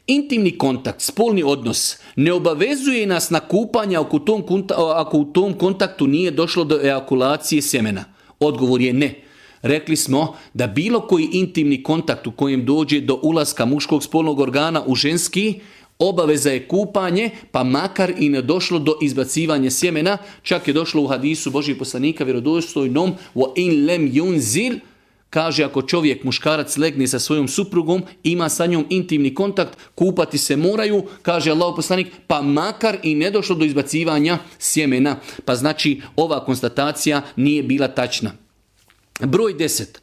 Intimni kontakt, spolni odnos, ne obavezuje nas na kupanje ako u tom kontaktu nije došlo do ejakulacije sjemena. Odgovor je ne. Rekli smo da bilo koji intimni kontakt u kojem dođe do ulaska muškog spolnog organa u ženski, obaveza je kupanje, pa makar i ne došlo do izbacivanja sjemena. Čak je došlo u hadisu Božijeg poslanika vjerodostojnom wa in lem yunzil, kaže ako čovjek, muškarac, legne sa svojom suprugom, ima sa njom intimni kontakt, kupati se moraju, kaže Allahov poslanik, pa makar i ne došlo do izbacivanja sjemena. Pa znači ova konstatacija nije bila tačna. Broj 10.